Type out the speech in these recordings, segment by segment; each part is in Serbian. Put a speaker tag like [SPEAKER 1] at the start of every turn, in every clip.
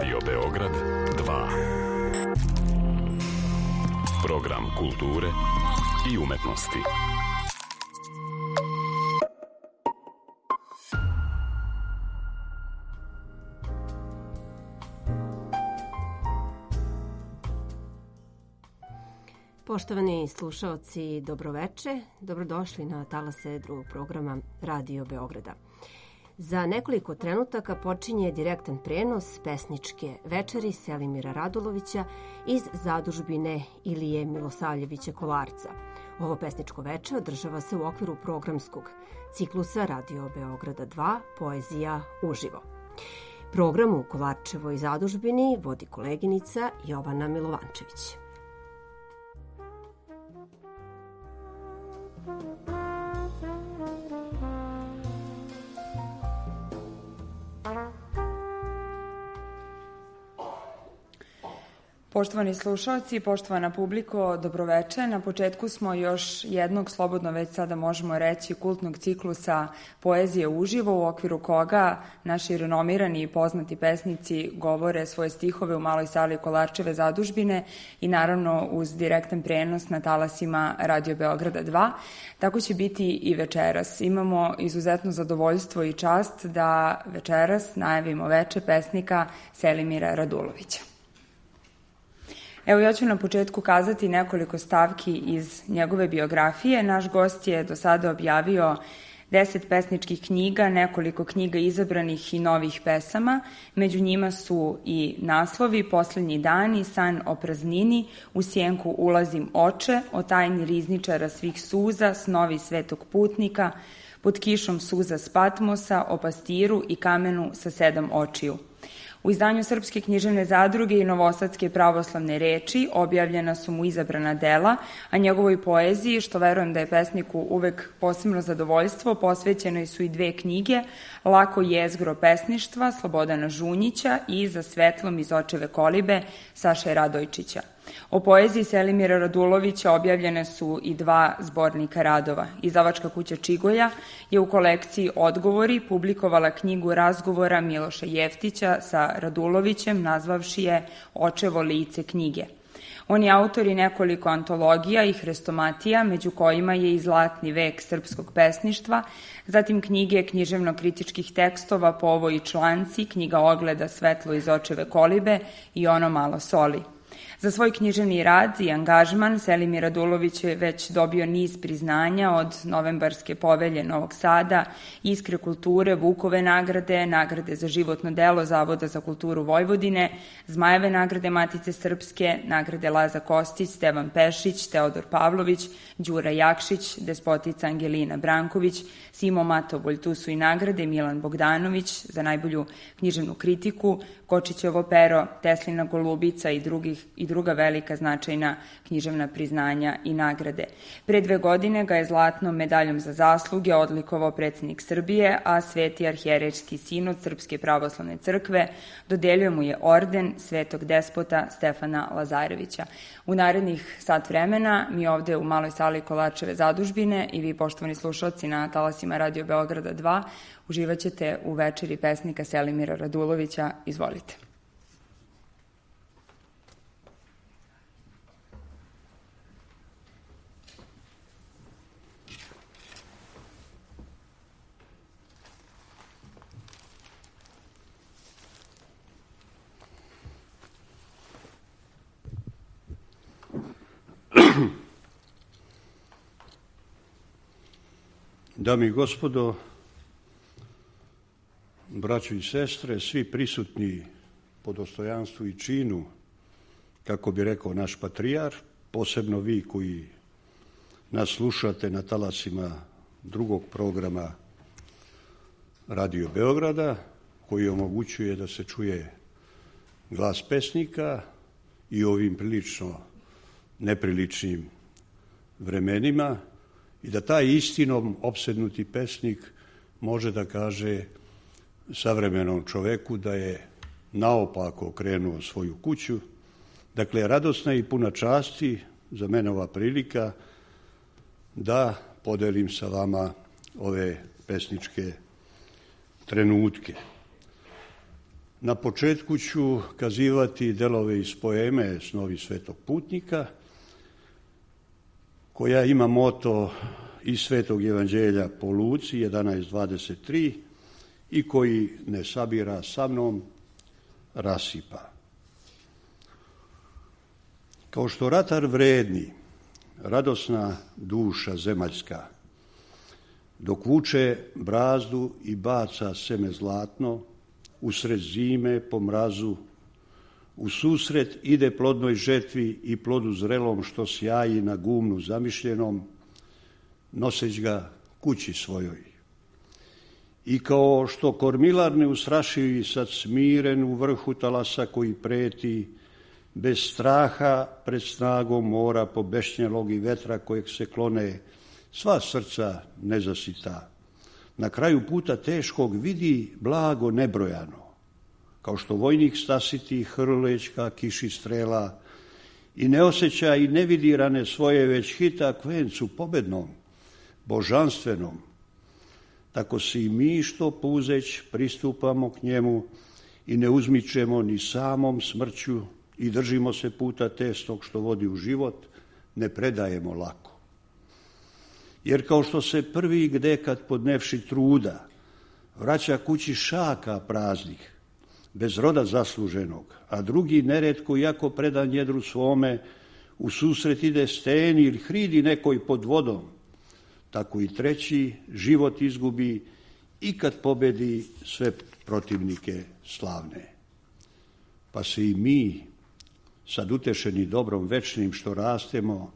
[SPEAKER 1] Radio Beograd 2. Program kulture i umetnosti.
[SPEAKER 2] Poštovani slušaoci, dobroveče. Dobrodošli na talase drugog programa Radio Beograda. Za nekoliko trenutaka počinje direktan prenos pesničke večeri Selimira Radulovića iz zadužbine Ilije Milosavljevića Kolarca. Ovo pesničko veče održava se u okviru programskog ciklusa Radio Beograda 2 Poezija uživo. Program u Kolarčevoj zadužbini vodi koleginica Jovana Milovančević.
[SPEAKER 3] Poštovani slušalci, poštovana publiko, dobroveče. Na početku smo još jednog, slobodno već sada možemo reći, kultnog ciklusa Poezije uživo, u okviru koga naši renomirani i poznati pesnici govore svoje stihove u maloj sali Kolarčeve zadužbine i naravno uz direktan prenos na talasima Radio Beograda 2. Tako će biti i večeras. Imamo izuzetno zadovoljstvo i čast da večeras najavimo veče pesnika Selimira Radulovića. Evo, ja ću na početku kazati nekoliko stavki iz njegove biografije. Naš gost je do sada objavio 10 pesničkih knjiga, nekoliko knjiga izabranih i novih pesama. Među njima su i naslovi Poslednji dani, San o praznini, U sjenku ulazim oče, O tajni rizničara svih suza, Snovi svetog putnika, Pod kišom suza s Patmosa, O pastiru i kamenu sa 7 očiju. U izdanju Srpske književne zadruge i Novosadske pravoslavne reči objavljena su mu izabrana dela, a njegovoj poeziji, što verujem da je pesniku uvek posebno zadovoljstvo, posvećene su i 2 knjige, Lako jezgro pesništva Slobodana Žunjića i Za svetlom iz očeve kolibe Saše Radojčića. O poeziji Selimira Radulovića objavljene su i 2 zbornika radova. Izdavačka kuća Čigoja je u kolekciji Odgovori publikovala knjigu razgovora Miloša Jeftića sa Radulovićem, nazvavši je Očevo lice knjige. On je autor i nekoliko antologija i hrestomatija, među kojima je i Zlatni vek srpskog pesništva, zatim knjige književno-kritičkih tekstova Povo i članci, knjiga ogleda Svetlo iz očeve kolibe i Ono malo soli. Za svoj književni rad i angažman Selimir Radulović je već dobio niz priznanja od Novembarske povelje Novog Sada, Iskre kulture, Vukove nagrade, nagrade za životno delo Zavoda za kulturu Vojvodine, Zmajeve nagrade Matice Srpske, nagrade Laza Kostić, Stevan Pešić, Teodor Pavlović, Đura Jakšić, despotica Angelina Branković, Simo Matovolj, tu su i nagrade Milan Bogdanović za najbolju književnu kritiku, Kočićevo pero, Teslina golubica i druga velika značajna književna priznanja i nagrade. Pre 2 godine ga je zlatnom medaljom za zasluge odlikovao predsjednik Srbije, a Sveti arhijerejski sinod Srpske pravoslavne crkve dodelio mu je orden Svetog despota Stefana Lazarevića. U narednih sat vremena mi ovde u maloj sali Kolarčeve zadužbine i vi, poštovani slušalci na talasima Radio Beograda 2, uživat ćete u večeri pesnika Selimira Radulovića. Izvolite.
[SPEAKER 4] Dame i gospodo, braćo i sestre, svi prisutni po dostojanstvu i činu, kako bi rekao naš patrijar, posebno vi koji nas slušate na talasima drugog programa Radio Beograda, koji omogućuje da se čuje glas pesnika i ovim prilično nepriličnim vremenima, i da taj istinom opsednuti pesnik može da kaže savremenom čoveku da je naopako okrenuo svoju kuću. Dakle, radosna i puna časti za mene ova prilika da podelim sa vama ove pesničke trenutke. Na početku ću kazivati delove iz poeme Snovi svetog putnika, koja ima moto iz Svetog evanđelja po Luci 11.23 i koji ne sabira sa mnom, rasipa. Kao što ratar vredni, radosna duša zemaljska, dok vuče brazdu i baca seme zlatno, usred zime po mrazu, u susret ide plodnoj žetvi i plodu zrelom što sjaji na gumnu zamišljenom, noseć ga kući svojoj. I kao što kormilar neustrašivi sad smiren u vrhu talasa koji preti, bez straha pred snagom mora pobešnjelog i vetra kojeg se klone sva srca nezasita. Na kraju puta teškog vidi blago nebrojano, kao što vojnik stasiti hrleć ka kiši strela i ne osjeća i ne vidi rane svoje, već hita k vencu pobednom, božanstvenom. Tako se i mi što puzeć pristupamo k njemu i ne uzmičemo ni samom smrću i držimo se puta testog što vodi u život, ne predajemo lako. Jer kao što se prvi gdekad podnevši truda vraća kući šaka praznih, bez roda zasluženog, a drugi neretko jako predan jedru svome, u susret ide steni ili hridi nekoj pod vodom, tako i treći život izgubi i kad pobedi sve protivnike slavne. Pa se i mi, sad utešeni dobrom večnim što rastemo,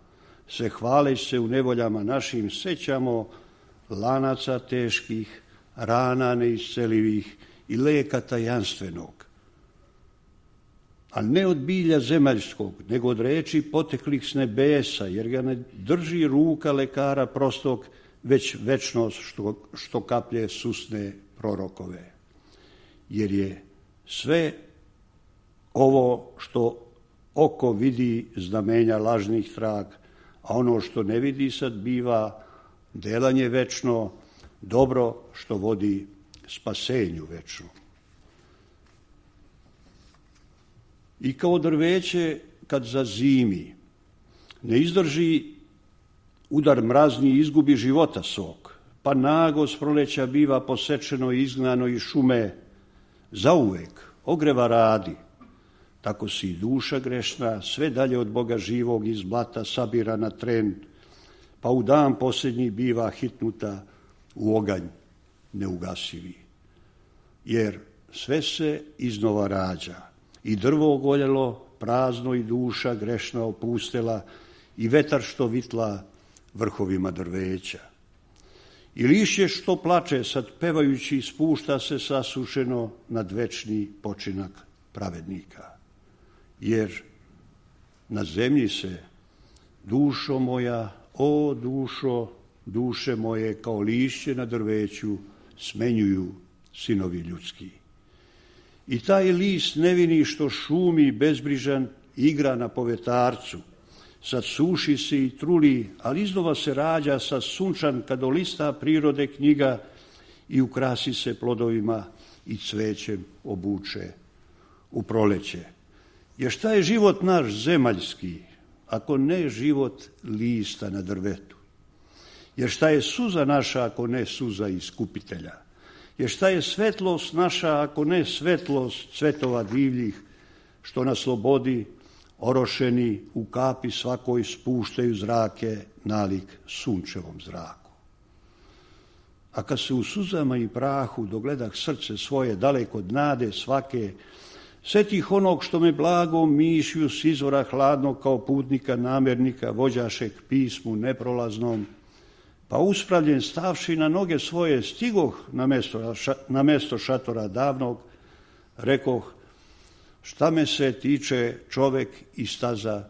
[SPEAKER 4] se hvaleći se u nevoljama našim sećamo lanaca teških, rana neiscelivih i leka tajanstvenog. A ne od bilja zemaljskog, nego od reči poteklih s nebesa, jer ga ne drži ruka lekara prostog, već večnost što kaplje susne prorokove. Jer je sve ovo što oko vidi znamenja lažnih trag, a ono što ne vidi sad biva delanje večno, dobro što vodi spasenju večno. I kao drveće kad zazimi, ne izdrži udar mrazni i izgubi života sok, pa nago s proleća biva posečeno i izgnano iz šume, zauvek ogreva radi. Tako si i duša grešna, sve dalje od Boga živog iz blata sabira na tren, pa u dan posljednji biva hitnuta u oganj neugasivi. Jer sve se iznova rađa, i drvo ogoljelo, prazno i duša grešna opustela, i vetar što vitla vrhovima drveća. I lišće što plače, sad pevajući, spušta se sasušeno nad večni počinak pravednika. Jer na zemlji se, dušo moja, o dušo, duše moje, kao lišće na drveću, smenjuju sinovi ljudski. I taj list nevini što šumi bezbrižan igra na povetarcu, sad suši se i truli, ali iznova se rađa sa sunčan kad olista prirode knjiga i ukrasi se plodovima i cvećem obuče u proleće. Jer šta je život naš zemaljski, ako ne život lista na drvetu? Jer šta je suza naša, ako ne suza iskupitelja? Jer šta je svetlost naša, ako ne svetlost cvetova divljih, što na slobodi orošeni u kapi svakoj spuštaju zrake nalik sunčevom zraku. A kad se u suzama i prahu dogledah srce svoje daleko od nade svake, setih onog što me blagom mišlju s izvora hladnog kao putnika namernika vođaše k pismu neprolaznom, pa uspravljen stavši na noge svoje stigoh na mesto šatora davnog, rekoh, šta me se tiče čovek i staza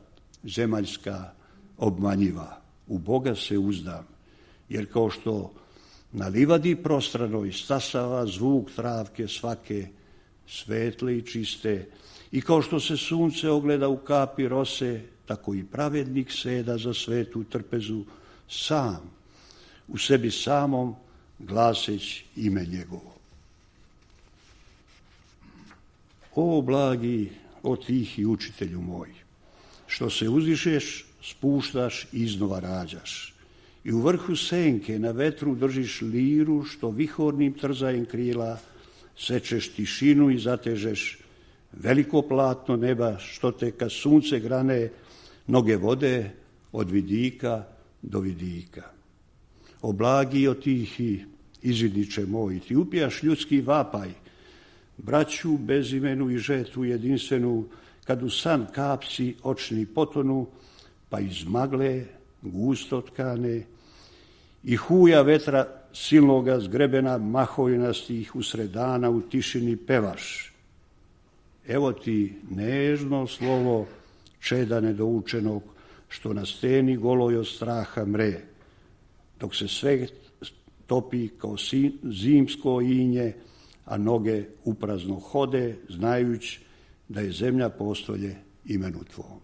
[SPEAKER 4] zemaljska obmanjiva, u Boga se uzdam, jer kao što na livadi prostranoj stasava zvuk travke svake, svetle i čiste, i kao što se sunce ogleda u kapi rose, tako i pravednik seda za svetu trpezu sam, u sebi samom glaseć ime njegovo. O blagi, o tihi učitelju moj, što se uzdišeš, spuštaš i iznova rađaš. I u vrhu senke na vetru držiš liru, što vihornim trzajem krila sečeš tišinu i zatežeš veliko platno neba, što te kad sunce grane noge vode od vidika do vidika. O blagi, o tihi izvidniče moj, ti upijaš ljudski vapaj, braću bezimenu i žetu jedinstvenu, kad u san kapci očni potonu, pa iz magle gusto tkane i huja vetra silnoga zgrebena mahojnastih usred dana u tišini pevaš. Evo ti nežno slovo čeda nedoučenog, što na steni goloj od straha mre, dok se sve topi kao zimsko inje, a noge uprazno hode, znajući da je zemlja postolje imenu tvom.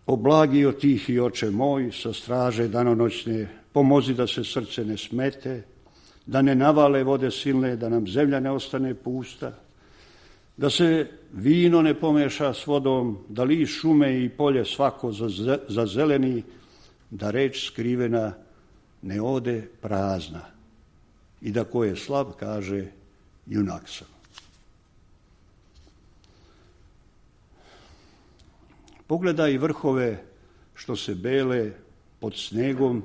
[SPEAKER 4] O blagi, o tihi oče moj, sa straže danonoćne, pomozi da se srce ne smete, da ne navale vode silne, da nam zemlja ne ostane pusta, da se vino ne pomeša s vodom, da li šume i polje svako zazeleni, da reč skrivena ne ode prazna i da ko je slab kaže junak sam. Pogledaj vrhove što se bele pod snegom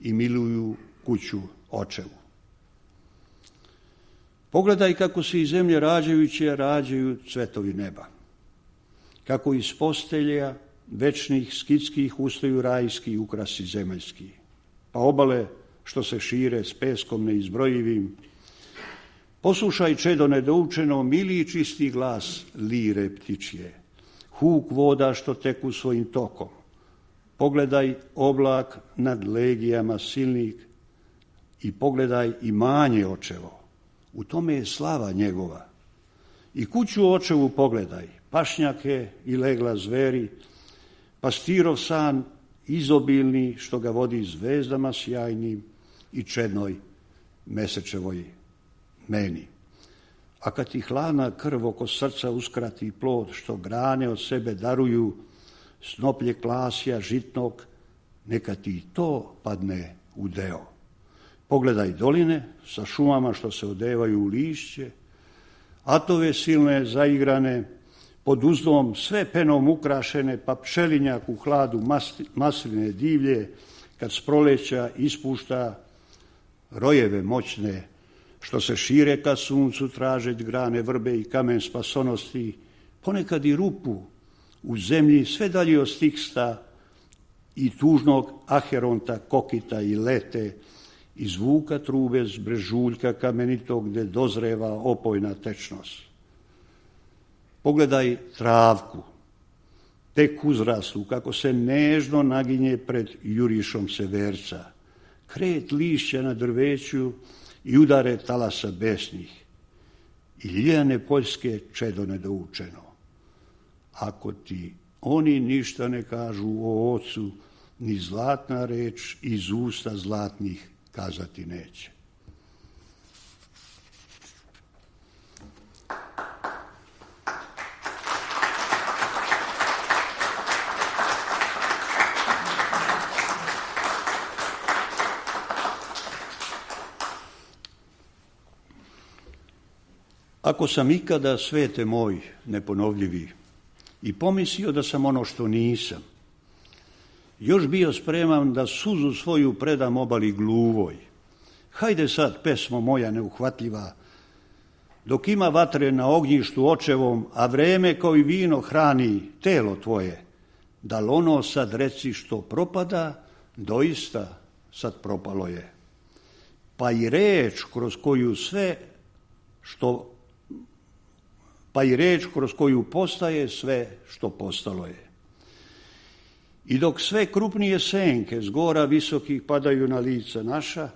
[SPEAKER 4] i miluju kuću očevu. Pogledaj kako se iz zemlje rađajuće rađaju cvetovi neba. Kako iz postelja večnih skitskih ustaju rajski ukrasi zemaljski. Pa obale što se šire s peskom neizbrojivim. Poslušaj čedo nedoučeno, mili i čisti glas lire ptičje. Huk voda što teku svojim tokom. Pogledaj oblak nad legijama silnih i pogledaj imanje očevo. U tome je slava njegova. I kuću očevu pogledaj, pašnjake i legla zveri, pastirov san izobilni što ga vodi zvezdama sjajnim i čednoj mesečevoj meni. A kad ti hladna krv oko srca uskrati plod što grane od sebe daruju, snoplje klasja žitnog, neka ti to padne u deo. Pogledaj doline sa šumama što se odevaju u lišće, atove silne zaigrane, pod uzdom sve penom ukrašene, pa pčelinjak u hladu masline divlje, kad s proleća ispušta rojeve moćne, što se šire ka suncu tražeć grane vrbe i kamen spasonosti, ponekad i rupu u zemlji sve dalje od Stiksta i tužnog Aheronta, Kokita i Lete, i zvuka trube s brežuljka kamenitog gde dozreva opojna tečnost. Pogledaj travku, tek uzraslu, kako se nežno naginje pred jurišom severca, kret lišća na drveću i udare talasa besnih i ljiljane poljske čedo nedoučeno. Ako ti oni ništa ne kažu o ocu, ni zlatna reč iz usta zlatnih kazati neće. Ako sam ikada, svete moj, neponovljivi, i pomislio da sam ono što nisam, još bio spreman da suzu svoju predam obali gluvoj. Hajde sad, pesmo moja neuhvatljiva, dok ima vatre na ognjištu očevom, a vreme kao i vino hrani telo tvoje, da li ono sad reci što propada, doista sad propalo je. Pa i reč kroz koju postaje sve što postalo je. I dok sve krupnije senke s gora visokih padaju na lica naša,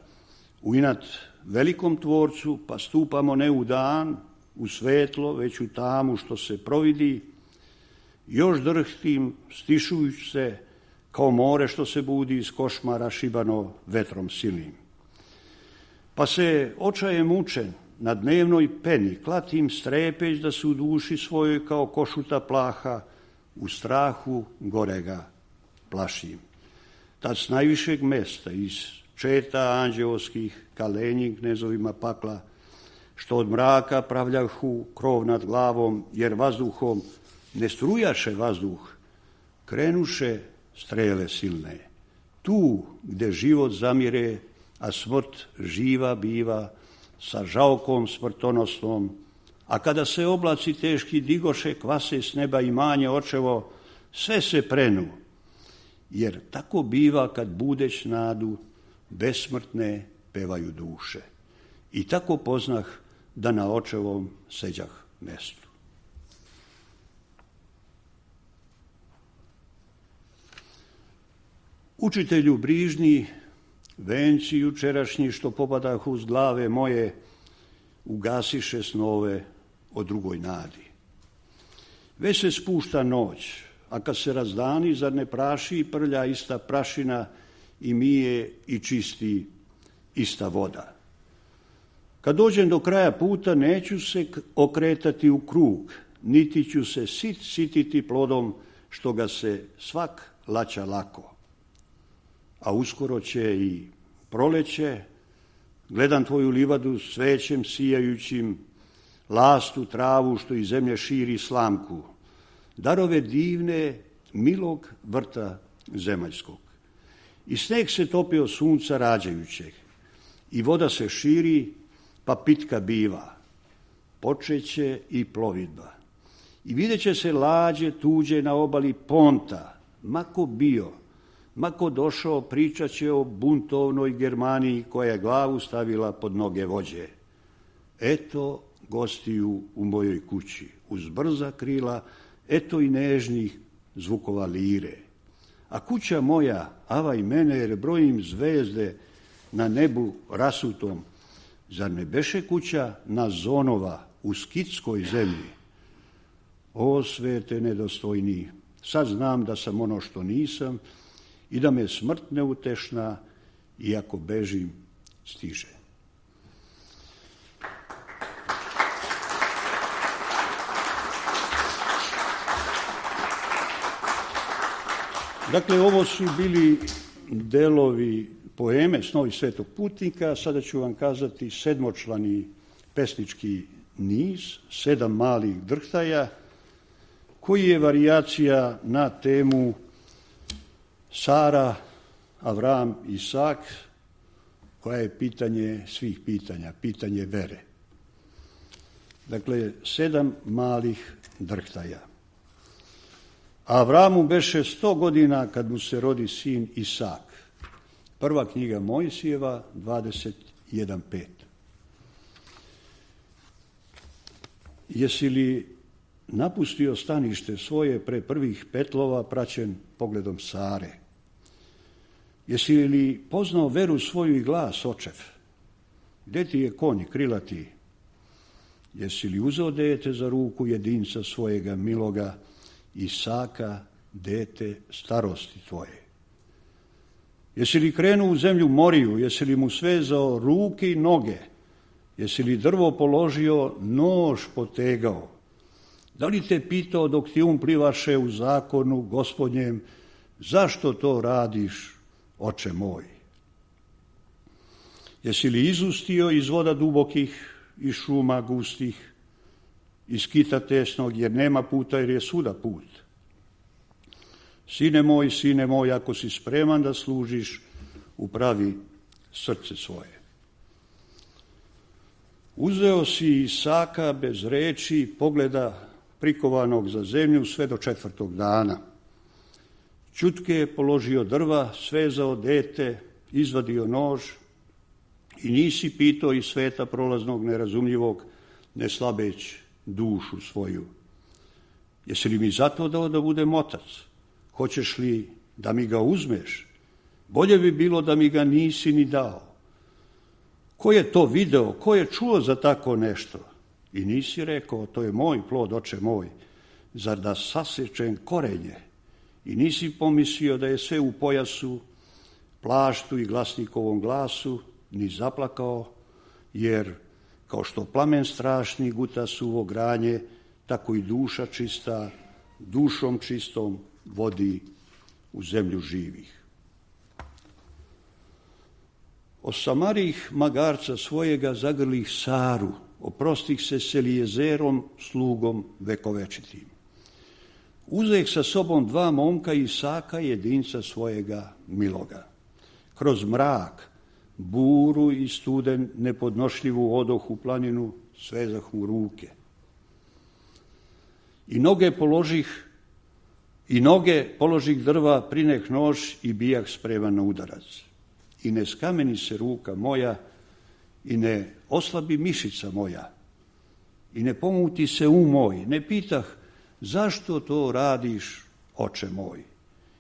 [SPEAKER 4] u inat velikom tvorcu, pa stupamo ne u dan, u svetlo, već u tamu što se providi, još drhtim, stišujući se, kao more što se budi iz košmara šibano vetrom silnim. Pa se očajem mučen, na dnevnoj peni, klatim strepeć da se u duši svojoj kao košuta plaha, u strahu gorega plašim. Tad s najvišeg mesta, iz četa anđeoskih, kalenjim knezovima pakla, što od mraka pravljahu krov nad glavom, jer vazduhom ne strujaše vazduh, krenuše strele silne. Tu gde život zamire, a smrt živa biva, sa žalkom smrtonosnom, a kada se oblaci teški digoše, kvase s neba imanje očevo, sve se prenu, jer tako biva kad budeć nadu, besmrtne pevaju duše. I tako poznah da na očevom seđah mestu. Učitelju brižni, venci jučerašnji što popadah uz glave moje, ugasiše snove o drugoj nadi. Već se spušta noć, a kad se razdani, zar ne praši i prlja ista prašina i mije i čisti ista voda. Kad dođem do kraja puta, neću se okretati u krug, niti ću se sititi plodom što ga se svak laća lako. A uskoro će i proleće, gledam tvoju livadu svećem sijajućim, lastu travu što iz zemlje širi slamku, darove divne milog vrta zemaljskog. I sneg se topio sunca rađajućeg, i voda se širi, pa pitka biva, počeće i plovidba. I vidjet će se lađe tuđe na obali Ponta, mako bio, mako došao, pričat će o buntovnoj Germaniji koja je glavu stavila pod noge vođe. Eto gostiju u mojoj kući, uz brza krila, eto i nežnih zvukova lire. A kuća moja, avaj mene, jer brojim zvezde na nebu rasutom, zar ne beše kuća Nazonova u skitskoj zemlji? O svete nedostojni, sad znam da sam ono što nisam i da me smrt neutešna, iako bežim, stiže. Dakle, ovo su bili delovi poeme Snovi svetog putnika. Sada ću vam kazati sedmočlani pesnički niz, 7 malih drhtaja, koji je varijacija na temu Sara, Avram, Isak, koja je pitanje svih pitanja, pitanje vere. Dakle, 7 malih drhtaja. Avramu beše 100 godina kad mu se rodi sin Isak. Prva knjiga Mojsijeva, 21.5. Jesi li napustio stanište svoje pre prvih petlova praćen pogledom Sare? Jesi li poznao veru svoju i glas očev? Gde ti je konj krilati? Jesi li uzeo dete za ruku jedinca svojega miloga, Isaka, dete starosti tvoje? Jesi li krenuo u zemlju Moriju? Jesi li mu svezao ruke i noge? Jesi li drvo položio, nož potegao? Da li te pitao dok ti plivaše u zakonu Gospodnjem, zašto to radiš, oče moj? Jesi li izustio iz voda dubokih, iz šuma gustih, iz kita tesnog, jer nema puta, jer je svuda put? Sine moj, ako si spreman da služiš, upravi srce svoje. Uzeo si Isaka bez reči, pogleda prikovanog za zemlju sve do 4. dana. Ćutke je položio drva, svezao dete, izvadio nož i nisi pitao iz sveta prolaznog nerazumljivog, ne slabeć dušu svoju. Jesi li mi zato dao da budem otac? Hoćeš li da mi ga uzmeš? Bolje bi bilo da mi ga nisi ni dao. Ko je to video? Ko je čuo za tako nešto? I nisi rekao, to je moj plod, oče moj, zar da sasečem korenje? I nisi pomislio da je sve u pojasu, plaštu i glasnikovom glasu, ni zaplakao, jer kao što plamen strašni guta suvo granje, tako i duša čista, dušom čistom vodi u zemlju živih. Osamarih magarca svojega zagrlih Saru, oprostih se s Elijezerom, slugom vekovečitim. Uzeh sa sobom 2 momka Isaka, jedinca svojega miloga. Kroz mrak, buru i studen nepodnošljivu odoh u planinu, svezah mu ruke. I noge položih drva, prineh nož i bijak spreman na udarac. I ne skameni se ruka moja, i ne oslabi mišica moja, i ne pomuti se moj, ne pitah zašto to radiš, oče moj.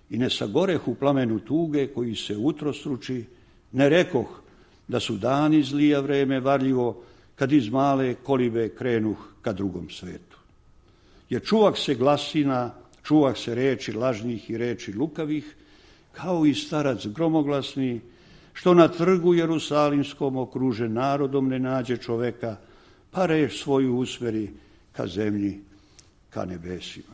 [SPEAKER 4] I ne sagoreh u plamenu tuge koji se utrostruči, ne rekoh da su dani zlija vreme varljivo, kad iz male kolibe krenuh ka drugom svetu. Jer čuvah se glasina, čuvah se reči lažnih i reči lukavih, kao i starac gromoglasni, što na trgu Jerusalimskom okružen narodom ne nađe čoveka, pa reč svoju usmeri ka zemlji, ka nebesima.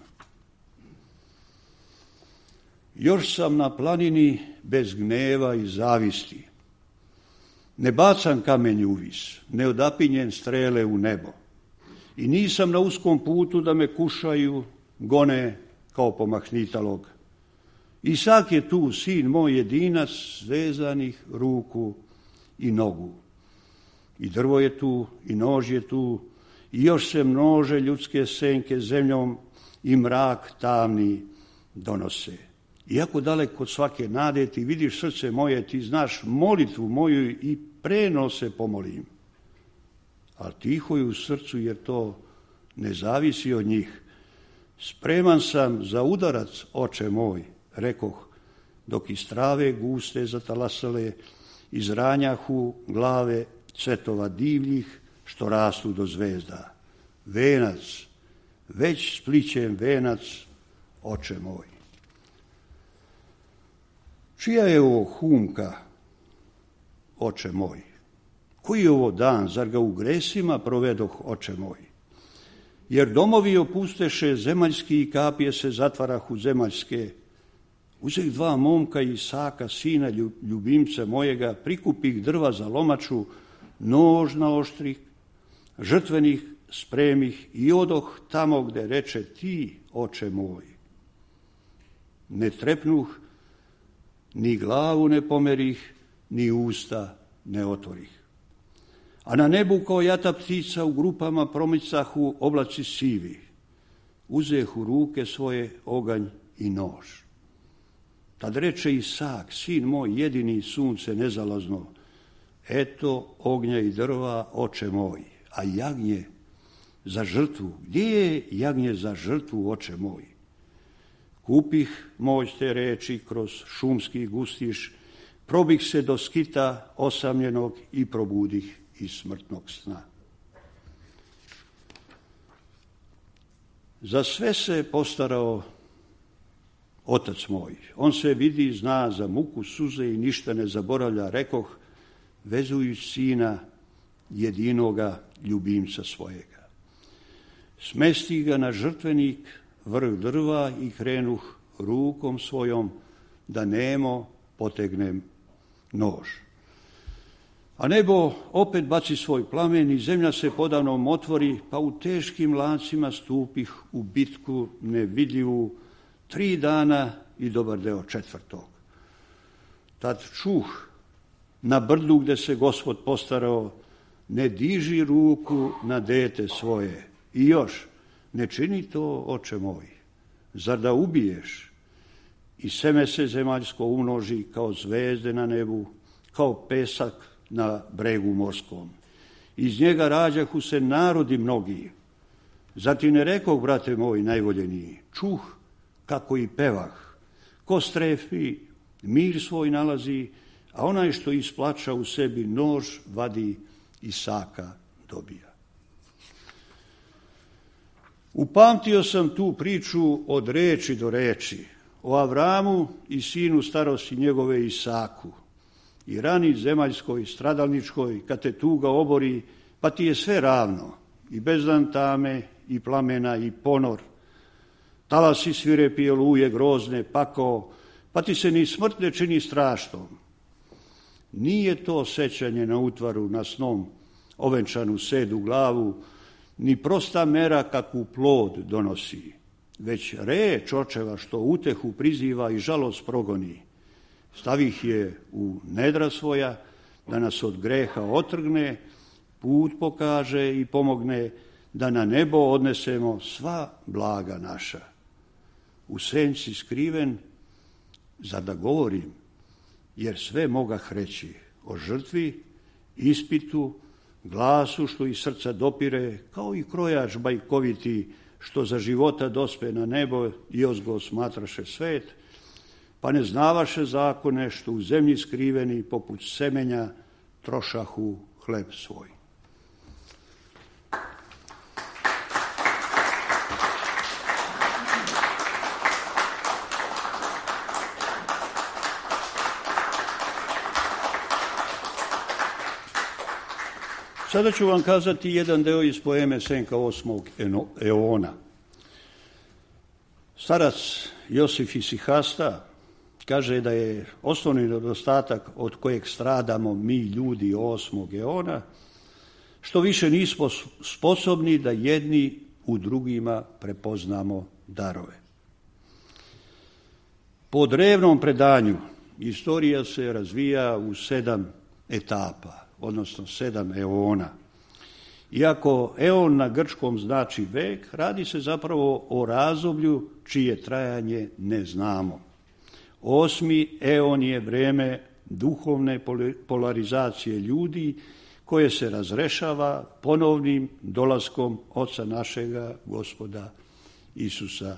[SPEAKER 4] Još sam na planini bez gneva i zavisti. Ne bacam kamenje uvis, ne odapinjem strele u nebo. I nisam na uskom putu da me kušaju, gone kao pomahnitalog. Isak je tu, sin moj jedinac, svezanih ruku i nogu. I drvo je tu, i nož je tu, i još se množe ljudske senke zemljom i mrak tamni donose. Iako daleko od svake nade ti vidiš srce moje, ti znaš molitvu moju i preno se pomolim. Ali tiho je u srcu jer to ne zavisi od njih. Spreman sam za udarac, oče moj, rekoh, dok iz trave guste zatalasale, iz ranjahu glave cvetova divljih, što rastu do zvezda. Venac, već splićem venac, oče moj. Čija je ovo humka, oče moj? Koji je ovo dan, zar ga u gresima provedoh, oče moj? Jer domovi opusteše zemaljski i kapije se zatvarahu zemaljske. Uzeh 2 momka Isaka, sina ljubimca mojega, prikupih drva za lomaču, nož naoštrih, žrtvenih spremih i odoh tamo gde reče ti, oče moj. Ne trepnuh, ni glavu ne pomerih, ni usta ne otvorih. A na nebu kao jata ptica u grupama promicahu oblaci sivi. Uzeh u ruke svoje oganj i nož. Tad reče Isak, sin moj jedini, sunce nezalazno, eto ognja i drva, oče moj, a jagnje za žrtvu, gdje je jagnje za žrtvu, oče moj? Kupih moć te reči kroz šumski gustiš, probih se do skita osamljenog i probudih iz smrtnog sna. Za sve se postarao otac moj. On se vidi i zna za muku suze i ništa ne zaboravlja, rekoh, vezujući sina jedinoga ljubimca svojega. Smesti ga na žrtvenik, vrh drva i krenuh rukom svojom da nemo potegnem nož. A nebo opet baci svoj plamen i zemlja se podavnom otvori, pa u teškim lancima stupih u bitku nevidljivu 3 dana i dobar deo 4. Tad čuh na brdu gde se Gospod postarao, ne diži ruku na dete svoje. I još, ne čini to, oče moj, zar da ubiješ? I seme se zemaljsko umnoži kao zvezde na nebu, kao pesak na bregu morskom. Iz njega rađahu se narodi mnogi. Zatim ne rekoh, brate moj najvoljeniji, čuh kako i pevah. Ko strefi, mir svoj nalazi, a onaj što isplača u sebi nož vadi, Isaka dobija. Upamtio sam tu priču od reči do reči, o Avramu i sinu starosti njegove Isaku, i rani zemaljskoj, stradalničkoj, kad te tuga obori, pa ti je sve ravno, i bezdan tame, i plamena, i ponor. Talasi svirepi oluje grozne, pakao, pa ti se ni smrt ne čini strašnom. Nije to sećanje na utvaru, na snom, ovenčanu sedu glavu, ni prosta mera kakvu plod donosi, već reč očeva što utehu priziva i žalost progoni. Stavih je u nedra svoja, da nas od greha otrgne, put pokaže i pomogne, da na nebo odnesemo sva blaga naša. U senci skriven, za da govorim, jer sve mogah reći o žrtvi, ispitu, glasu što iz srca dopire, kao i krojač bajkoviti što za života dospe na nebo i ozgo smatraše svet, pa ne znavaše zakone što u zemlji skriveni poput semenja trošahu hleb svoj. Sada ću vam kazati jedan deo iz poeme Senka 8. eona. Starac Josif Isihasta kaže da je osnovni nedostatak od kojeg stradamo mi ljudi 8. eona, što više nismo sposobni da jedni u drugima prepoznamo darove. Po drevnom predanju istorija se razvija u 7 etapa, odnosno 7 eona. Iako eon na grčkom znači vek, radi se zapravo o razdoblju čije trajanje ne znamo. 8. eon je vreme duhovne polarizacije ljudi koje se razrešava ponovnim dolaskom Oca našega Gospoda Isusa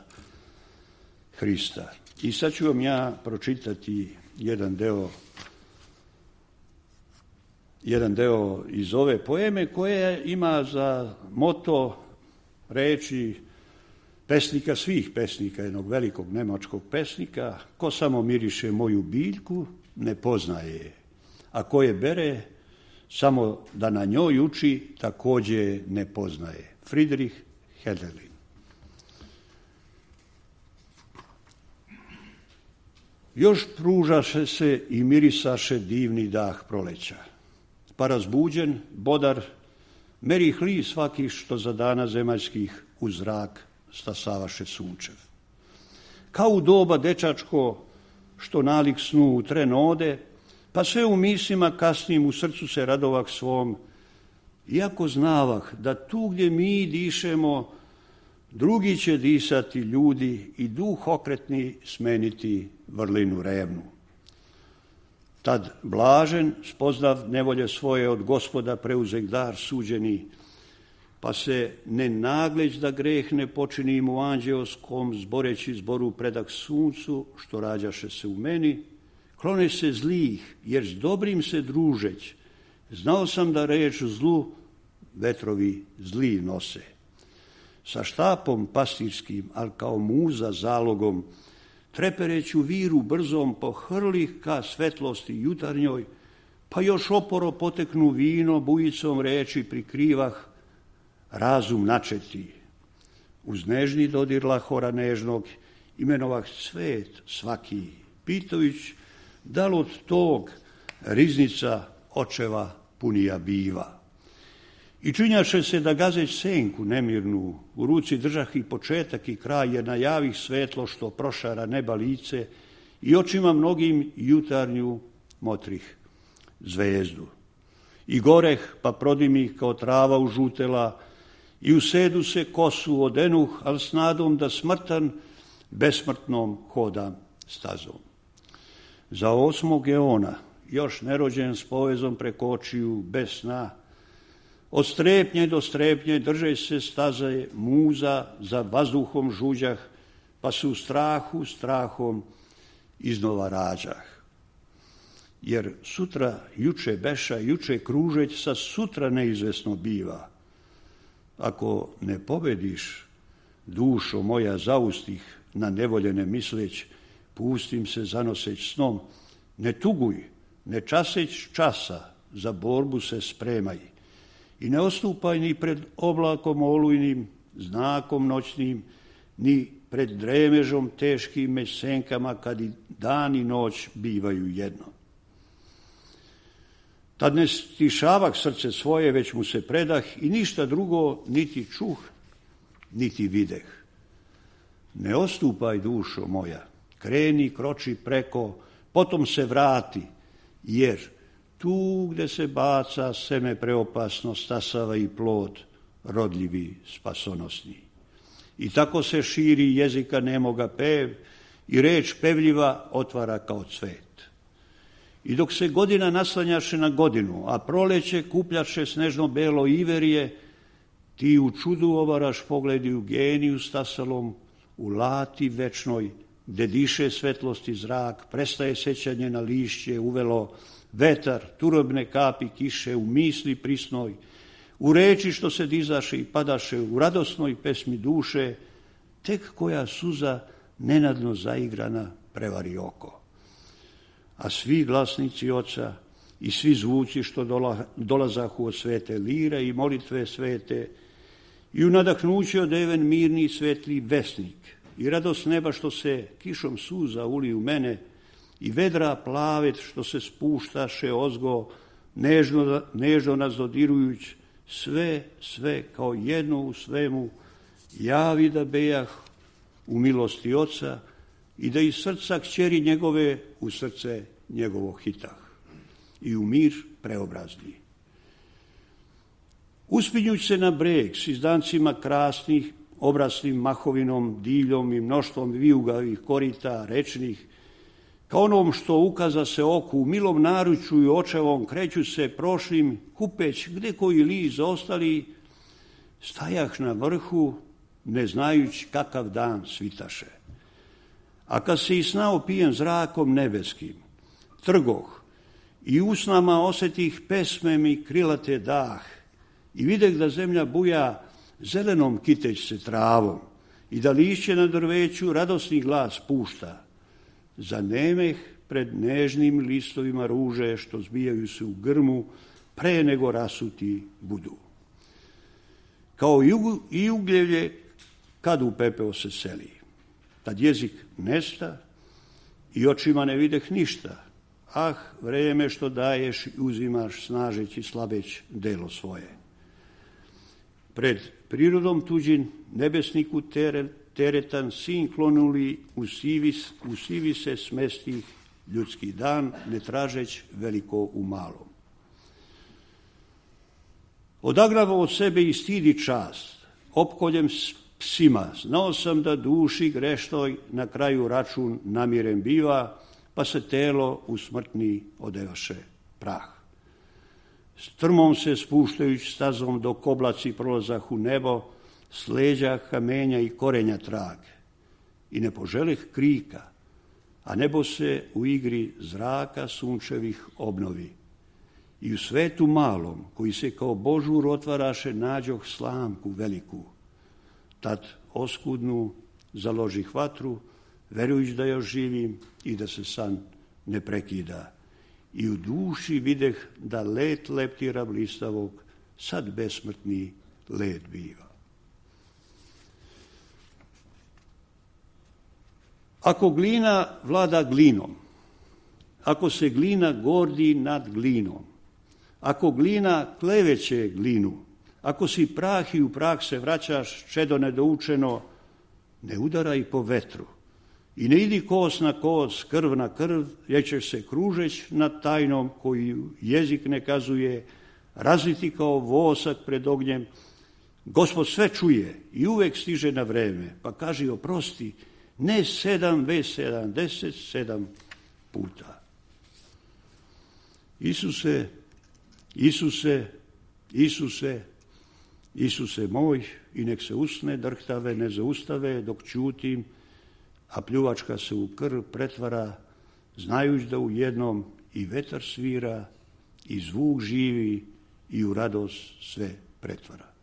[SPEAKER 4] Hrista. I sad ću vam ja pročitati jedan deo iz ove poeme koja ima za moto reči pesnika svih pesnika, jednog velikog nemačkog pesnika: ko samo miriše moju biljku, ne poznaje je, a ko je bere, samo da na njoj uči, takođe ne poznaje. Friedrich Hölderlin. Još pružaše se i mirisaše divni dah proleća, pa razbuđen, bodar, meri hli svaki što za dana zemaljskih u zrak stasavaše sunčev. Kao u doba dečačko, što nalik snu u tren ode, pa sve u mislima kasnim u srcu se radovah svom, iako znavah da tu gdje mi dišemo, drugi će disati ljudi i duh okretni smeniti vrlinu revnu. Tad blažen, spoznav nevolje svoje od Gospoda preuzek dar suđeni, pa se ne nagleć da greh ne počinim u anđeoskom, zboreći zboru predak suncu, što rađaše se u meni, klone se zlih, jer s dobrim se družeć, znao sam da reč zlu vetrovi zli nose. Sa štapom pastirskim, ali kao muza zalogom, trepereću viru brzom pohrlih ka svetlosti jutarnjoj, pa još oporo poteknu vino, bujicom reči prikrivah, razum načeti. Uz nežni dodir lahora nežnog, imenovah svet svaki, pitajuć da li od tog riznica očeva punija biva. I činjaše se da gazeć senku nemirnu, u ruci držah i početak i kraj, jer najavih svetlo što prošara neba lice i očima mnogim jutarnju motrih zvezdu. I goreh pa prodimih kao trava užutela i u sedu se kosu odenuh, al s nadom da smrtan besmrtnom hodam stazom. Za 8. eona, još nerođen s povezom preko očiju, bez sna, od strepnje do strepnje drže se staze muza, za vazduhom žuđah, pa se u strahom iznova rađah. Jer sutra juče beša, juče kružeć, sa sutra neizvesno biva. Ako ne pobediš, dušo moja zaustih, na nevoljene misleć, pustim se zanoseć snom, ne tuguj, ne časeć časa, za borbu se spremaj. i ne odstupaj ni pred oblakom olujnim, znakom noćnim, ni pred dremežom teškim među senkama, kad i dan i noć bivaju jedno. Tad ne stišavak srce svoje, već mu se predah i ništa drugo niti čuh, niti videh. Ne odstupaj, dušo moja, kreni, kroči preko, potom se vrati, jer tu gde se baca seme preopasno, stasava i plod rodljivi, spasonosni. I tako se širi jezika nemoga pev i reč pevljiva otvara kao cvet. I dok se godina naslanjaše na godinu, a proleće kupljaše snežno-belo iverije, ti u čudu ovaraš pogledi u geniju stasalom, u lati večnoj, gde diše svetlosti zrak, prestaje sećanje na lišće, uvelo vetar, turobne kapi kiše u misli prisnoj, u reči što se dizaše i padaše, u radosnoj pesmi duše, tek koja suza nenadno zaigrana prevari oko. A svi glasnici oca i svi zvuci što dolazahu od svete lire i molitve svete i u nadahnuće odeven mirni svetli vesnik i radost neba što se kišom suza uli u mene i vedra plavet što se spuštaše ozgo nežno nas dodirujuć, sve kao jedno u svemu javi da bejah u milosti oca i da iz srca kćeri njegove u srce njegovo hitah i u mir preobrazni. Uspinjuć se na breg s izdancima krasnih, obraslim mahovinom, divljom i mnoštvom vijugavih korita rečnih, kao onom što ukaza se oku u milom naručju i očevom kreću se prošlim, kupeć gde koji liz ostali, stajah na vrhu, ne znajući kakav dan svitaše. A kad se i sna opijen zrakom nebeskim, trgoh i usnama osetih pesmem i krilate dah i videh da zemlja buja zelenom kiteć se travom i da lišće na drveću radosni glas pušta, zanemeh pred nežnim listovima ruže što zbijaju se u grmu pre nego rasuti budu. Kao i ugljevlje kad u pepeo se seli. Tad jezik nesta i očima ne videh ništa. Ah, vreme što daješ i uzimaš snažeći slabeć delo svoje. Pred prirodom tuđin nebesniku teretan sin klonuli u sivi se smesti ljudski dan, ne tražeć veliko u malom. Odagravo od sebe i stidi čast, opkoljem psima, znao sam da duši grešnoj na kraju račun namiren biva, pa se telo u smrtni odevaše prah. Strmom se spuštajući stazom dok oblaci prolazah u nebo, s leđa kamenja i korenja trag. I ne poželih krika, a nebo se u igri zraka sunčevih obnovi. I u svetu malom, koji se kao božur otvaraše, nađoh slamku veliku. Tad oskudnu založih vatru, verujući da još živim i da se san ne prekida. I u duši videh da let leptira blistavog, sad besmrtni let biva. Ako glina vlada glinom, ako se glina gordi nad glinom, ako glina kleveće glinu, ako si prah i u prah se vraćaš, čedo nedoučeno, ne udaraj po vetru i ne idi kos na kos, krv na krv, jer ćeš se kružeć nad tajnom koju jezik ne kazuje, razliti kao vosak pred ognjem. Gospod sve čuje i uvek stiže na vreme, pa kaži oprosti, ne 7, već 77 puta. Isuse, Isuse, Isuse, Isuse moj, i nek se usne drhtave ne zaustave dok ćutim, a pljuvačka se u krv pretvara, znajući da u jednom i vetar svira, i zvuk živi, i u radost sve pretvara.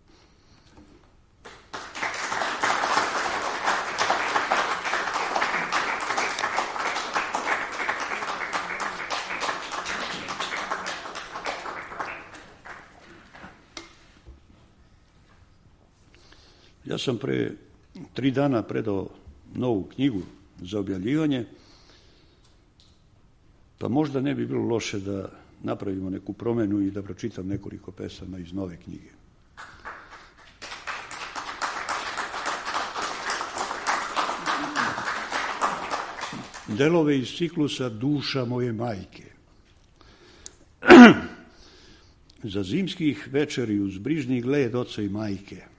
[SPEAKER 4] Ja sam pre 3 dana predao novu knjigu za objavljivanje, pa možda ne bi bilo loše da napravimo neku promenu i da pročitam nekoliko pesama iz nove knjige. Delove iz ciklusa Duša moje majke. Za zimskih večeri uz brižni gled oca i majke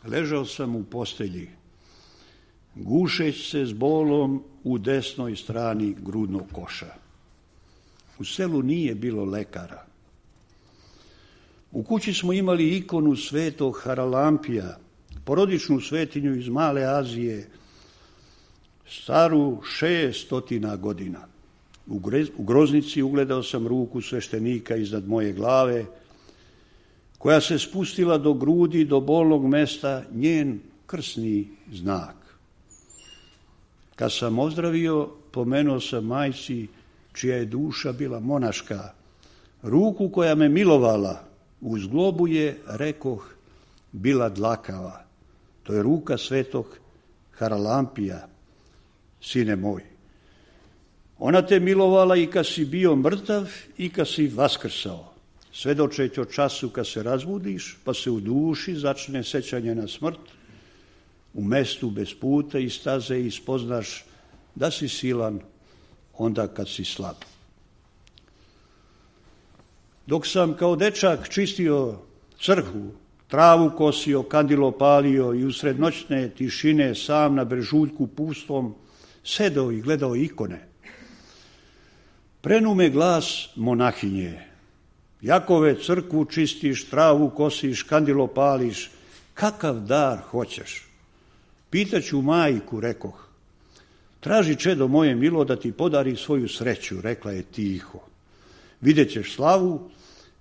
[SPEAKER 4] ležao sam u postelji, gušeć se s bolom u desnoj strani grudnog koša. U selu nije bilo lekara. U kući smo imali ikonu svetog Haralampija, porodičnu svetinju iz Male Azije, staru 600 godina. U groznici ugledao sam ruku sveštenika iznad moje glave, koja se spustila do grudi, do bolnog mesta, njen krsni znak. Kad sam ozdravio, pomenuo sam majci, čija je duša bila monaška, ruku koja me milovala, u zglobu je, rekoh, bila dlakava. To je ruka svetog Haralampija, sine moj. Ona te milovala i kad si bio mrtav i kad si vaskrsao, svedočeć o času kad se razbudiš, pa se u duši začne sećanje na smrt, u mestu bez puta i staze i spoznaš da si silan onda kad si slab. Dok sam kao dečak čistio crkvu, travu kosio, kandilo palio i usred noćne tišine sam na brežuljku pustom sedao i gledao ikone, prenume glas monahinje. Jakove, crkvu čistiš, travu kosiš, kandilo pališ, kakav dar hoćeš? Pitaću majku, rekoh. Traži, čedo moje milo, da ti podari svoju sreću, rekla je tiho. Vidjet ćeš slavu,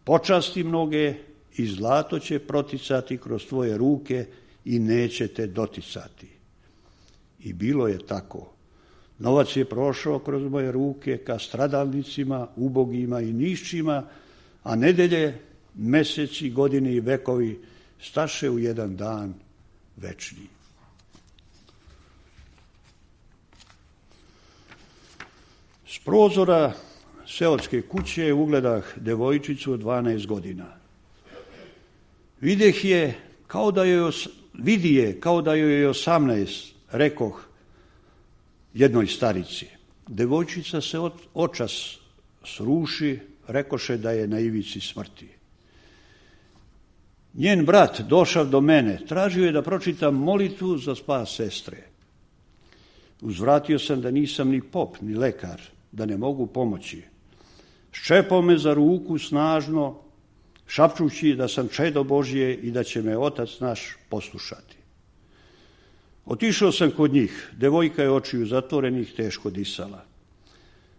[SPEAKER 4] počasti mnoge i zlato će proticati kroz tvoje ruke i neće te doticati. I bilo je tako. Novac je prošao kroz moje ruke ka stradalnicima, ubogima i nišćima, a nedelje, meseci, godine i vekovi staše u jedan dan večni. S prozora seoske kuće ugledah devojčicu od 12 godina. Vidi je kao da joj je 18, rekoh jednoj starici. Devojčica se očas sruši, rekoše da je na ivici smrti. Njen brat došao do mene, tražio je da pročitam molitvu za spas sestre. Uzvratio sam da nisam ni pop, ni lekar, da ne mogu pomoći. Ščepao me za ruku snažno, šapčući da sam čedo Božje i da će me Otac naš poslušati. Otišao sam kod njih, devojka je očiju zatvorenih teško disala.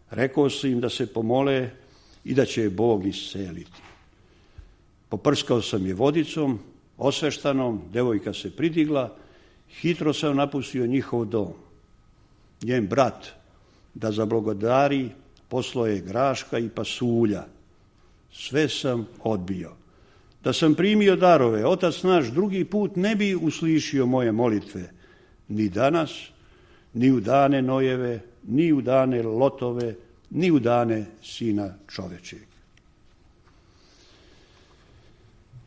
[SPEAKER 4] Rekao sam im da se pomole i da će je Bog isceliti. Poprskao sam je vodicom, osveštanom, devojka se pridigla, hitro sam napustio njihov dom. Njen brat, da zablagodari, poslao je graška i pasulja. Sve sam odbio. Da sam primio darove, Otac naš drugi put ne bi uslišio moje molitve, ni danas, ni u dane Nojeve, ni u dane Lotove, ni u dane Sina čovečeg.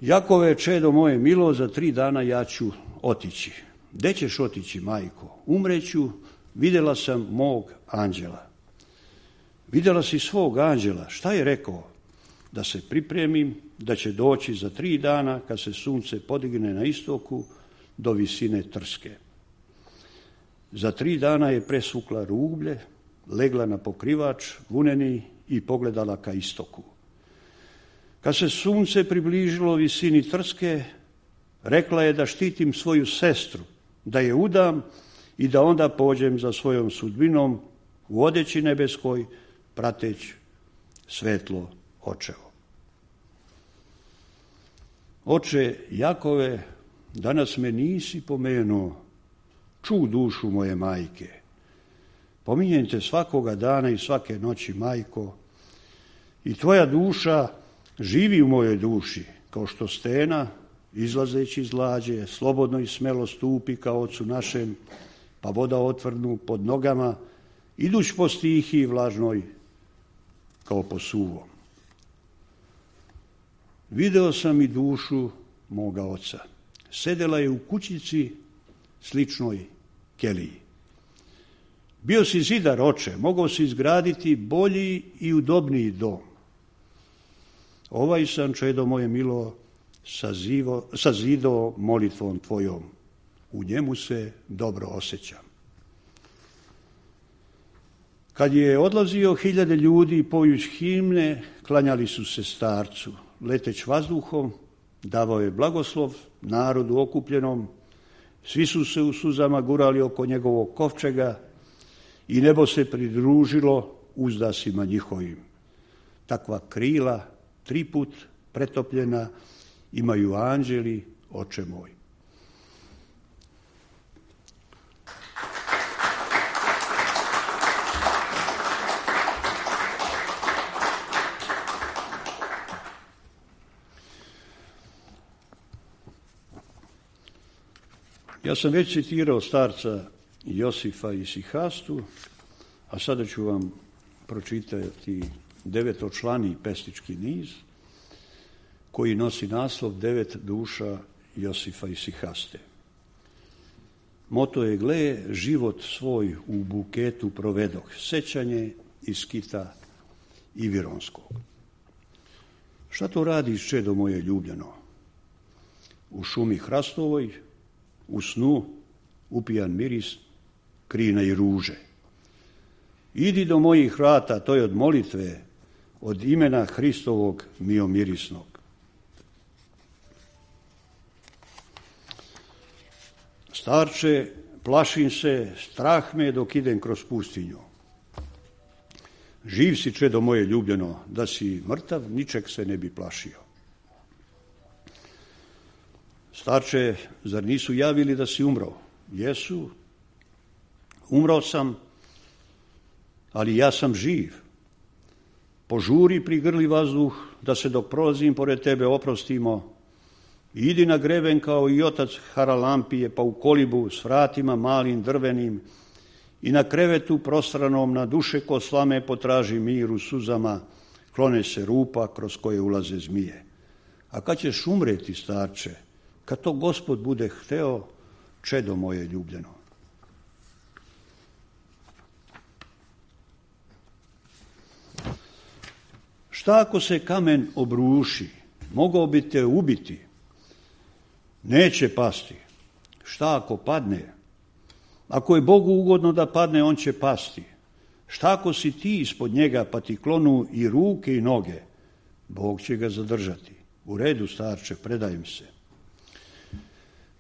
[SPEAKER 4] Jakove, čedo moje milo, za 3 dana ja ću otići. Gde ćeš otići, majko? Umreću, vidjela sam mog anđela. Vidjela si svog anđela, šta je rekao? Da se pripremim, da će doći za 3 dana, kad se sunce podigne na istoku, do visine Trske. Za 3 dana je presvukla rublje, legla na pokrivač, vuneni i pogledala ka istoku. Kad se sunce približilo visini Trske, rekla je da štitim svoju sestru, da je udam i da onda pođem za svojom sudbinom u odeći nebeskoj, prateć svetlo očevo. Oče Jakove, danas me nisi pomenuo, ču dušu moje majke. Pominjem te svakoga dana i svake noći, majko, i tvoja duša živi u mojoj duši, kao što stena izlazeći iz lađe, slobodno i smelo stupi kao ocu našem, pa voda otvrnu pod nogama, iduć po stihiji vlažnoj kao po suvom. Video sam i dušu moga oca. Sedela je u kućici sličnoj keliji. Bio si zidar, oče, mogao si izgraditi bolji i udobniji dom. Ovaj sam, čedo moje milo, sazidao molitvom tvojom. U njemu se dobro osjećam. Kad je odlazio 1000 ljudi pojuć himne, klanjali su se starcu. Leteć vazduhom, davao je blagoslov narodu okupljenom. Svi su se u suzama gurali oko njegovog kovčega i nebo se pridružilo uzdasima njihovim. Takva krila, 3 put pretopljena, imaju anđeli, oče moj. Ja sam već citirao starca Josifa Isihastu, a sada ću vam pročitati 9-člani pesnički niz koji nosi naslov 9 duša Josifa Isihaste. Moto je: gle, život svoj u buketu provedoh, sećanje iz Kita i Vironskog. Šta to radiš, čedo moje ljubljeno? U šumi hrastovoj, u snu upijan miris krina i ruže. Idi do mojih vrata, to je od molitve, od imena Hristovog miomirisnog. Starče, plašim se, strah me dok idem kroz pustinju. Živ si, čedo moje ljubljeno, da si mrtav, ničeg se ne bi plašio. Starče, zar nisu javili da si umro? Jesu. Umro sam, ali ja sam živ. Požuri, prigrli vazduh, da se dok prolazim pored tebe oprostimo. Idi na greben kao i otac Haralampije, pa u kolibu s vratima malim drvenim i na krevetu prostranom na duše ko slame potraži mir u suzama, klone se rupa kroz koje ulaze zmije. A kad ćeš umreti, starče? Kad to Gospod bude hteo, čedo moje ljubljeno. Šta ako se kamen obruši? Mogao bi te ubiti. Neće pasti. Šta ako padne? Ako je Bogu ugodno da padne, on će pasti. Šta ako si ti ispod njega, pa ti klonu i ruke i noge? Bog će ga zadržati. U redu, starče, predajem se.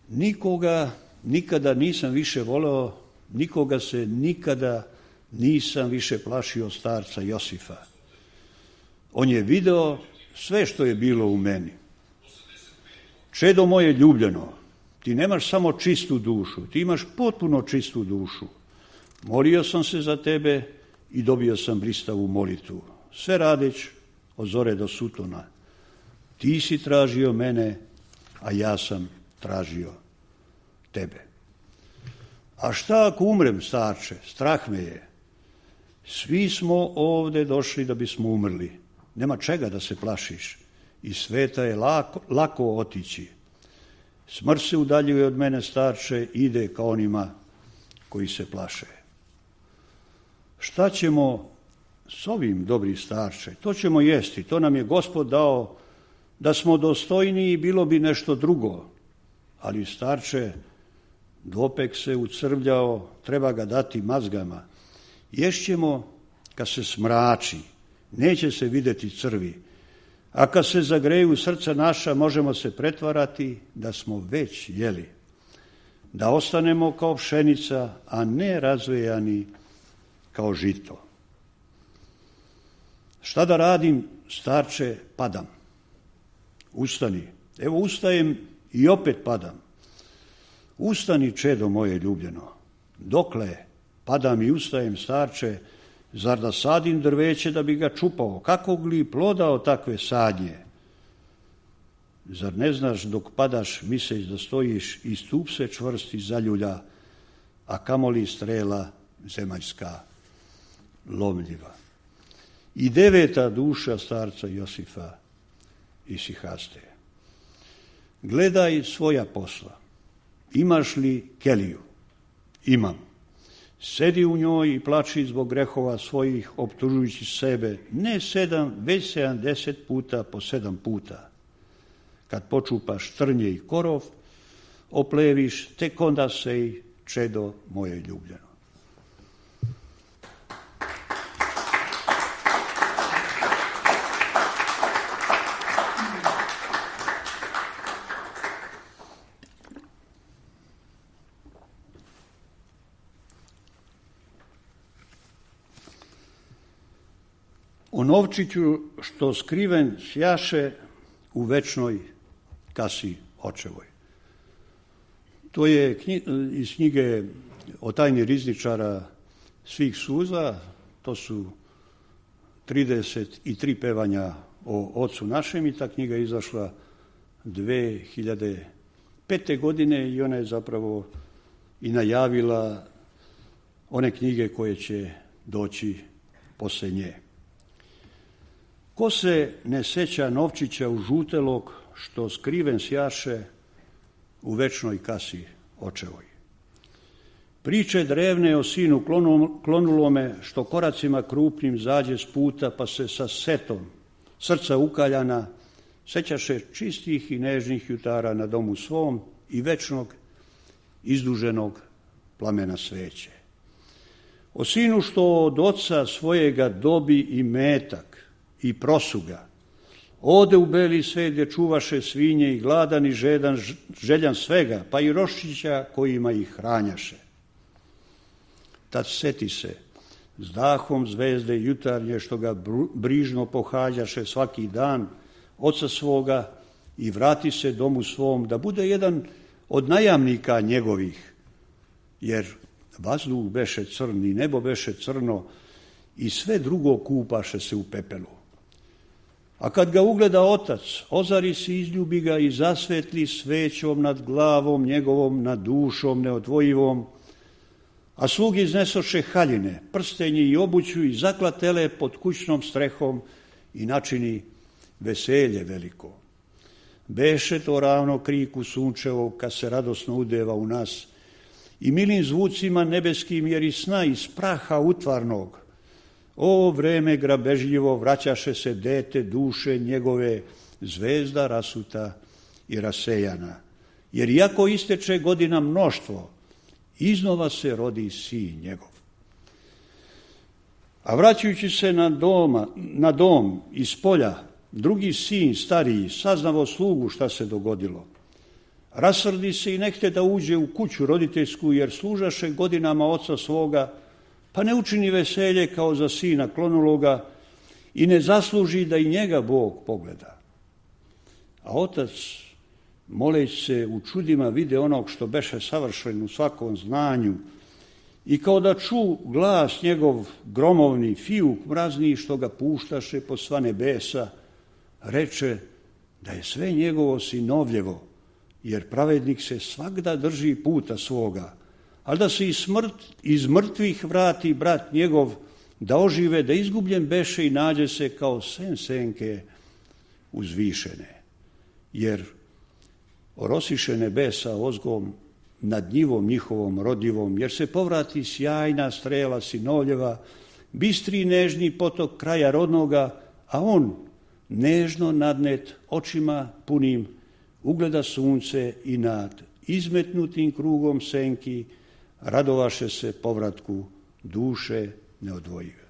[SPEAKER 4] Nikoga nikada nisam više voleo, nikoga se nikada nisam više plašio starca Josifa. On je video sve što je bilo u meni. Čedo moje ljubljeno, ti nemaš samo čistu dušu, ti imaš potpuno čistu dušu. Molio sam se za tebe i dobio sam blistavu molitvu. Sve radeć od zore do sutona. Ti si tražio mene, a ja sam tražio tebe. A šta ako umrem, starče? Strah me je. Svi smo ovde došli da bismo umrli. Nema čega da se plašiš. Iz sveta je lako otići. Smrt se udaljuje od mene, starče, ide ka onima koji se plaše. Šta ćemo s ovim, dobri starče? To ćemo jesti. To nam je Gospod dao. Da smo dostojniji, bilo bi nešto drugo. Ali, starče, dopek se ucrvljao, treba ga dati mazgama. Ješćemo kad se smrači, neće se videti crvi. A kad se zagreju srca naša, možemo se pretvarati da smo već jeli. Da ostanemo kao pšenica, a ne razvejani kao žito. Šta da radim, starče? Padam. Ustani. Evo ustajem i opet padam. Ustani, čedo moje ljubljeno. Dokle? Padam i ustajem, starče. Zar da sadim drveće da bi ga čupao? Kakvog li ploda od takve sadnje? Zar ne znaš dok padaš miseć da stojiš i stup se čvrsti zaljulja, a kamoli strela zemaljska lomljiva. I 9. duša starca Josifa isihaste. Gledaj svoja posla. Imaš li keliju? Imam. Sedi u njoj i plači zbog grehova svojih, optužujući sebe ne 7, već 70 puta po 7 puta. Kad počupaš trnje i korov, opleviš, tek onda sej, čedo moje ljubljeno. O novčiću što skriven sjaše u večnoj kasi očevoj. To je iz knjige o tajni rizničara svih suza, to su 33 pevanja o Ocu našem i ta knjiga je izašla 2005. godine i ona je zapravo i najavila one knjige koje će doći poslije nje. Ko se ne seća novčića u žutelog, što skriven sjaše u večnoj kasi očevoj. Priče drevne o sinu klonulome, što koracima krupnim zađe s puta, pa se sa setom srca ukaljana sećaše čistih i nežnih jutara na domu svom i večnog izduženog plamena sveće. O sinu što od oca svojega dobi i metak i prosuga, ode u beli svet gdje čuvaše svinje i gladan i željan svega, pa i roščića kojima ih hranjaše. Tad seti se s dahom zvezde jutarnje što ga brižno pohađaše svaki dan, oca svoga, i vrati se domu svom da bude jedan od najamnika njegovih, jer vazduh beše crn i nebo beše crno i sve drugo kupaše se u pepelu. A kad ga ugleda otac, ozari se, izljubi ga i zasvetli svećom nad glavom njegovom, nad dušom neodvojivom, a slugi iznesoše haljine, prstenje i obuću i zaklatele pod kućnom strehom i načini veselje veliko. Beše to ravno kriku sunčevog kad se radosno udeva u nas i milim zvucima nebeskim jer i sna iz praha utvarnog. O vreme grabežljivo vraćaše se dete duše njegove, zvezda rasuta i rasejana. Jer iako isteče godina mnoštvo, iznova se rodi sin njegov. A vraćajući se na dom iz polja, drugi sin stariji saznavo slugu šta se dogodilo. Rasrdi se i nehte da uđe u kuću roditeljsku jer služaše godinama oca svoga, pa ne učini veselje kao za sina klonuloga i ne zasluži da i njega Bog pogleda. A otac, moleći se u čudima, vide onog što beše savršen u svakom znanju i kao da ču glas njegov gromovni, fijuk mrazni što ga puštaše po sva nebesa, reče da je sve njegovo sinovljevo, jer pravednik se svagda drži puta svoga, ali da se iz mrtvih vrati brat njegov, da ožive, da izgubljen beše i nađe se kao sen senke uzvišene. Jer orosiše nebesa ozgom nad njivom njihovom rodljivom, jer se povrati sjajna strela sinovljeva, bistri nežni potok kraja rodnoga, a on nežno nadnet očima punim ugleda sunce i nad izmetnutim krugom senki radovaše se povratku duše neodvojive.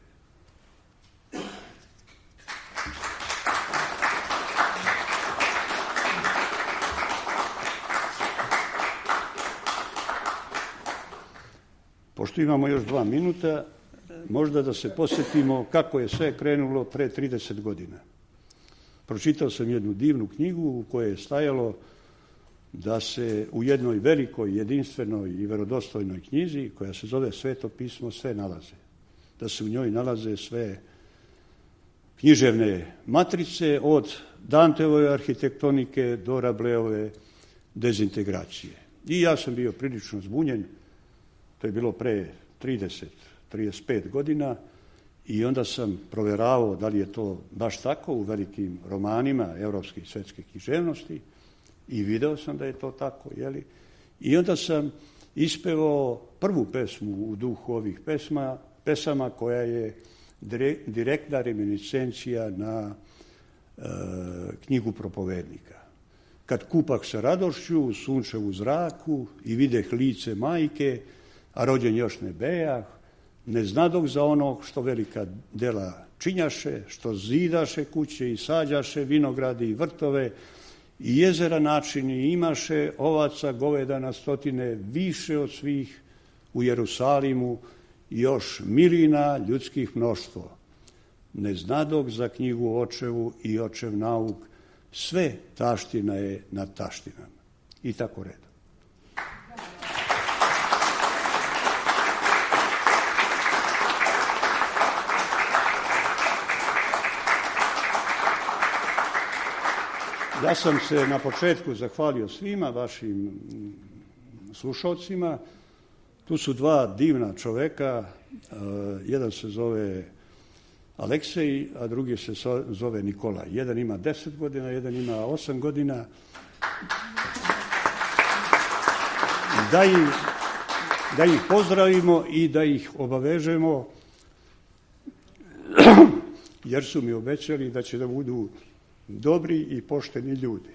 [SPEAKER 4] Pošto imamo još 2 minuta, možda da se posjetimo kako je sve krenulo pre 30 godina. Pročitao sam jednu divnu knjigu u kojoj je stajalo da se u jednoj velikoj, jedinstvenoj i verodostojnoj knjizi, koja se zove Sveto pismo, sve nalaze. Da se u njoj nalaze sve književne matrice od Danteove arhitektonike do Rableove dezintegracije. I ja sam bio prilično zbunjen, to je bilo pre 30-35 godina, i onda sam proveravao da li je to baš tako u velikim romanima evropske i svetske književnosti i video sam da je to tako, jeli? I onda sam ispevao prvu pesmu u duhu ovih pesama koja je direktna reminiscencija na knjigu Propovednika. Kad kupak sa radošću u sunčevu zraku i videh lice majke, a rođen još ne bejah, ne znadog za onog što velika dela činjaše, što zidaše kuće i sađaše vinogradi i vrtove i jezera načini imaše, ovaca goveda na stotine, više od svih u Jerusalimu i još milina ljudskih mnoštvo. Ne znadog za knjigu očevu i očev nauk, sve taština je nad taštinama. I tako redom. Ja sam se na početku zahvalio svima vašim slušalcima. Tu su dva divna čoveka, jedan se zove Aleksej, a drugi se zove Nikolaj. Jedan ima 10 godina, jedan ima 8 godina. Da ih pozdravimo i da ih obavežemo, jer su mi obećali da će da budu dobri i pošteni ljudi.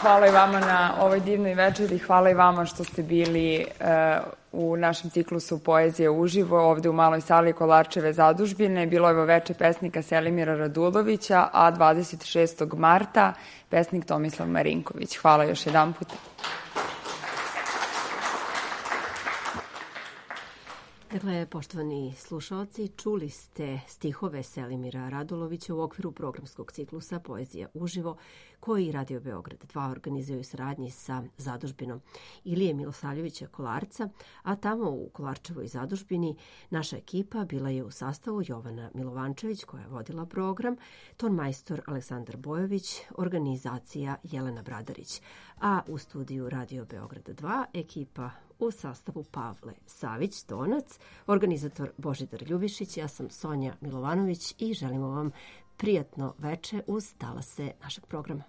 [SPEAKER 3] Hvala i vama na ovoj divnoj večeri, hvala i vama što ste bili u našem ciklusu Poezije uživo, ovde u maloj sali Kolarčeve zadužbine. Bilo je veče pesnika Selimira Radulovića, a 26. marta pesnik Tomislav Marinković. Hvala još jedan put.
[SPEAKER 2] Dakle, poštovani slušalci, čuli ste stihove Selimira Radulovića u okviru programskog ciklusa Poezija uživo, koji Radio Beograd 2 organizuje u saradnji sa zadužbinom Ilije Milosavljevića Kolarca, a tamo u Kolarčevoj zadužbini naša ekipa bila je u sastavu Jovana Milovančević, koja je vodila program, tonmajstor Aleksandar Bojović, organizacija Jelena Bradarić, a u studiju Radio Beograd 2 ekipa u sastavu Pavle Savić, tonac, organizator Božidar Ljubišić, ja sam Sonja Milovanović i želimo vam prijatno veče uz talase našeg programa.